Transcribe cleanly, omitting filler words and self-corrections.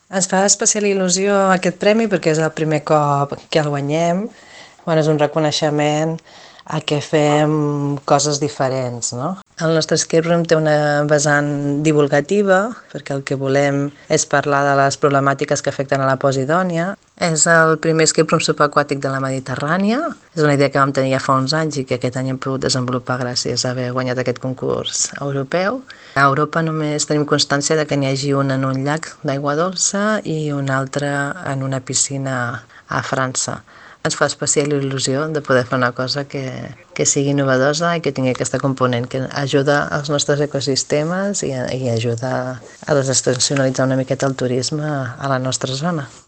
Ens fa especial il·lusió aquest premi perquè és el primer cop que el guanyem. Bueno, és un reconeixement a que fem coses diferents, no? El nostre escape room té una vessant divulgativa, perquè el que volem és parlar de les problemàtiques que afecten a la posidònia. És el primer escape room subaquàtic de la Mediterrània. És una idea que vam tenir ja fa uns anys i que aquest any hem pogut desenvolupar gràcies a haver guanyat aquest concurs europeu. A Europa només tenim constància de que n'hi hagi un en un llac d'aigua dolça i un altre en una piscina a França. Ens fa especial il·lusió de poder fer una cosa que sigui novedosa i que tingui aquesta component que ajuda als nostres ecosistemes i ajuda a desestacionalitzar una miqueta el turisme a la nostra zona.